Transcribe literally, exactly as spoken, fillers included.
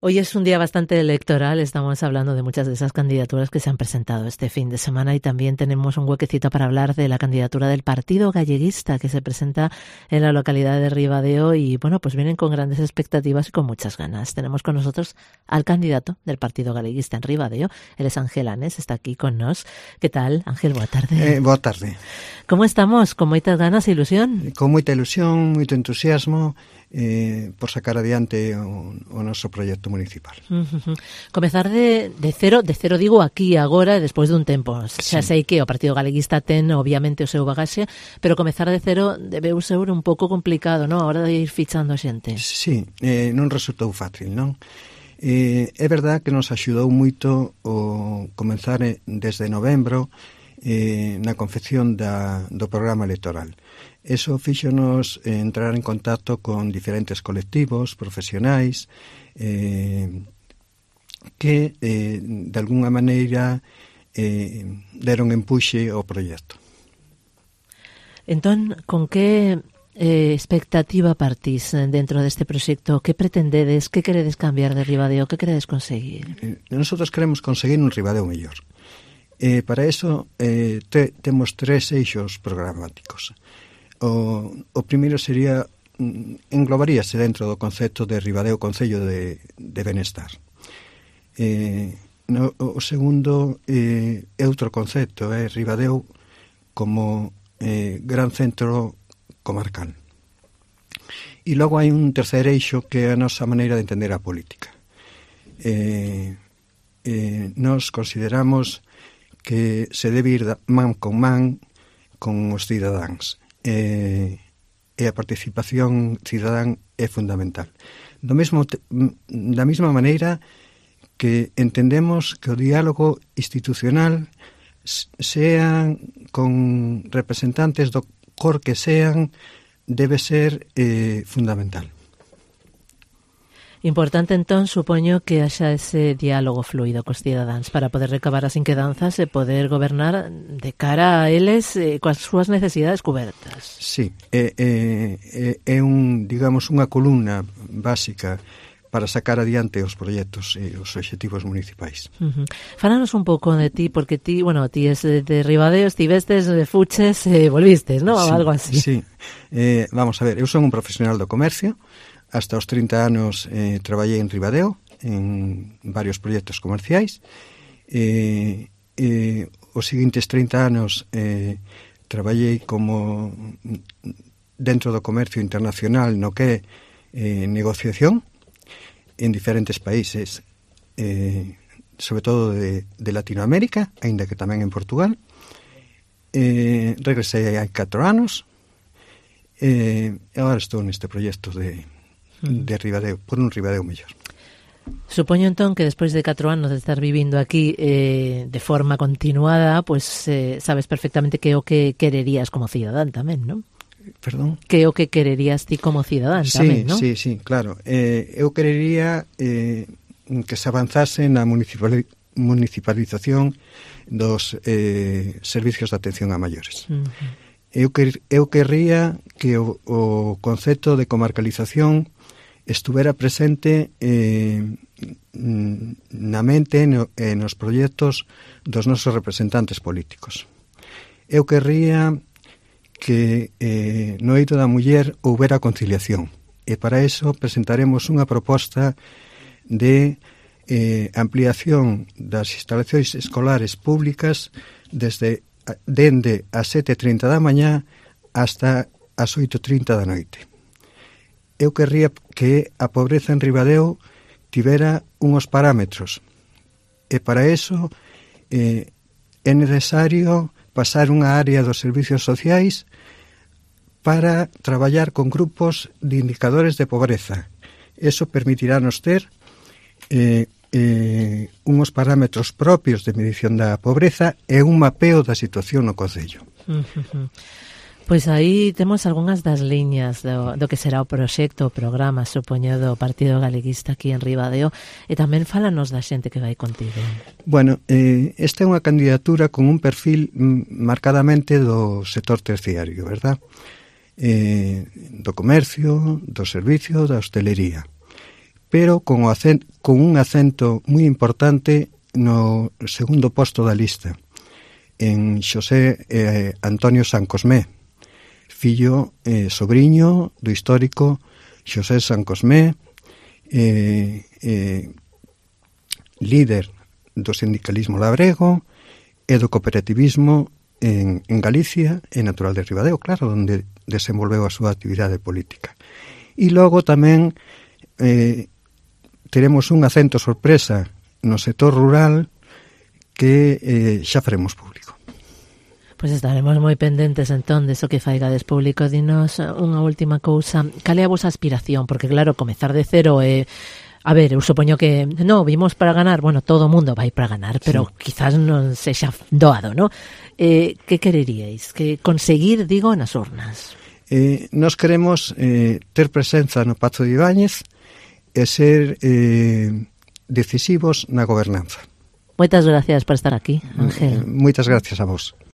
Hoy es un día bastante electoral, estamos hablando de muchas de esas candidaturas que se han presentado este fin de semana y también tenemos un huequecito para hablar de la candidatura del Partido Galleguista que se presenta en la localidad de Ribadeo y bueno, pues vienen con grandes expectativas y con muchas ganas. Tenemos con nosotros al candidato del Partido Galleguista en Ribadeo, él es Ángel Anes, está aquí con nos. ¿Qué tal, Ángel? Boa tarde. Eh, boa tarde. Como estamos? Con moitas ganas e ilusión? Con moita ilusión, moito entusiasmo eh, por sacar adiante o, o noso proxecto municipal. Uh-huh. Comezar de, de cero, de cero digo aquí, agora, e despois dun tempo. Xa sí. sei que o Partido Galeguista ten, obviamente, o seu bagaxe, pero comezar de cero debeu ser un pouco complicado, non? A hora de ir fichando a xente. Sí, eh, non resultou fácil, non? Eh, é verdad que nos axudou moito o comenzar desde novembro eh, na confección da, do programa electoral. Eso fíxonos eh, entrar en contacto con diferentes colectivos profesionais eh, que eh, de alguna maneira eh, deron empuxe ao proxecto. Entón, con que eh, expectativa partís dentro deste proxecto? Que pretendedes? Que queredes cambiar de Ribadeo? Que queredes conseguir? Eh, nosotros queremos conseguir un Ribadeo mellor. Eh, para eso eh, te, temos tres eixos programáticos. O, o primeiro sería, englobaríase dentro do concepto de Ribadeo Concello de, de Benestar. Eh, no, o segundo eh, é outro concepto, é Ribadeo como eh, gran centro comarcal. E logo hai un terceiro eixo que é a nosa maneira de entender a política. Eh, eh, nos consideramos que se debe ir man con man con os cidadáns. Eh, e a participación cidadán é fundamental. Do mesmo, da mesma maneira que entendemos que o diálogo institucional sean con representantes do cor que sean debe ser eh, fundamental. Importante, entón, supoño que haxa ese diálogo fluido cos cidadáns para poder recabar as inquedanzas e poder gobernar de cara a eles eh, coas súas necesidades cubertas. Sí, é, é, é un, digamos, unha columna básica para sacar adiante os proxectos e os obxectivos municipais. Uh-huh. Fálanos un pouco de ti, porque ti, bueno, ti es de, de Ribadeo, estivestes, de fuches e eh, volvistes, non? Sí, Algo así. Sí, eh, vamos a ver, eu son un profesional do comercio. Hasta os trinta anos eh, traballei en Ribadeo en varios proxectos comerciais. Eh, eh, os seguintes trinta anos eh, traballei como dentro do comercio internacional no que é eh, negociación en diferentes países, eh, sobre todo de, de Latinoamérica, aínda que tamén en Portugal. Eh, regresei hai catro anos eh, e agora estou neste proxecto de de Ribadeo, por un Ribadeo mellor. Supoño entón que despois de catro anos de estar vivindo aquí eh, de forma continuada, pues eh, sabes perfectamente que é o que quererías como cidadán tamén, non? Perdón? Que é o que quererías ti como cidadán sí, tamén, non? Sí, sí, claro. Eh, eu querería eh, que se avanzase na municipali- municipalización dos eh, servicios de atención a maiores. Uh-huh. Eu, quer, eu querría que o, o concepto de comarcalización estuvera presente eh, na mente e no, nos proxectos dos nosos representantes políticos. Eu querría que eh, no eido da muller houbera conciliación e para eso presentaremos unha proposta de eh, ampliación das instalacións escolares públicas desde dende as sete e trinta da mañá hasta as oito e trinta da noite. Eu querría que a pobreza en Ribadeo tivera unhos parámetros e para eso eh, é necesario pasar unha área dos servicios sociais para traballar con grupos de indicadores de pobreza. Eso permitirá-nos ter eh, eh, unhos parámetros propios de medición da pobreza e un mapeo da situación no concello. Uh-huh. Pois aí temos algunhas das liñas do, do que será o proxecto, o programa, supoño, do Partido Galeguista aquí en Ribadeo, e tamén fálanos da xente que vai contigo. Bueno, eh, esta é unha candidatura con un perfil marcadamente do sector terciario, verdad? Eh, do comercio, do servicio, da hostelería. pero con, o acento, con un acento moi importante no segundo posto da lista, en Xosé eh, Antonio San Cosmé, fillo, eh, sobriño do histórico Xosé San Cosmé, eh, eh, líder do sindicalismo labrego e do cooperativismo en, en Galicia e natural de Ribadeo, claro, onde desenvolveu a súa actividade política. E logo tamén eh, teremos un acento sorpresa no sector rural que eh, xa faremos público. Pois estaremos moi pendentes entón de eso que faigades público. Dinos unha última cousa, cal é a vosa aspiración? Porque claro, comezar de cero é... Eh, a ver, eu supoño que no, vimos para ganar, bueno, todo o mundo vai para ganar, pero sí, quizás non sexa doado, ¿no? Eh, que quereríais? Que conseguir, digo, nas urnas? Eh, nos queremos eh, ter presenza no Pazo de Ibáñez e ser eh, decisivos na gobernanza. Moitas gracias por estar aquí, Ángel. Eh, moitas gracias a vos.